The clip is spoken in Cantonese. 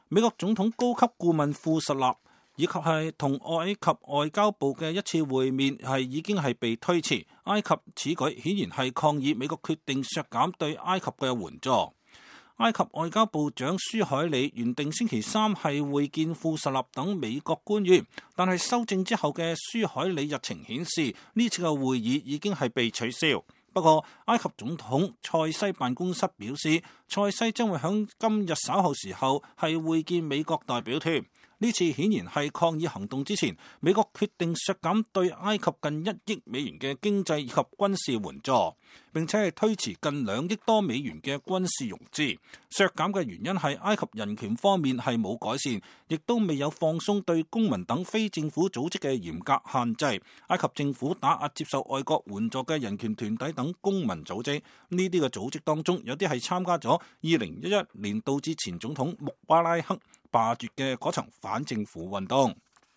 美國總統高級顧問庫什納以及係同埃及外交部嘅一次會面已經被推遲。埃及此舉顯然係抗議美國決定削減對埃及嘅援助。埃及外交部長舒海里原定星期三係會見庫什納等美國官員，但係修正之後嘅舒海里日程顯示呢次嘅會議已經係被取消。不過，埃及總統塞西辦公室表示，塞西將會喺今日稍後時候係會見美國代表團。呢次顯然係抗議行動之前，美國決定削減對埃及近1億美元嘅經濟以及軍事援助，並且係推遲近2億多美元嘅軍事融資。削減嘅原因係埃及人權方面係冇改善，亦都未有放鬆對公民等非政府組織嘅嚴格限制。埃及政府打壓接受外國援助嘅人權團體等公民組織，呢啲嘅組織當中有啲係參加咗2011年導致前總統穆巴拉克罷黜嘅嗰場反政府運動。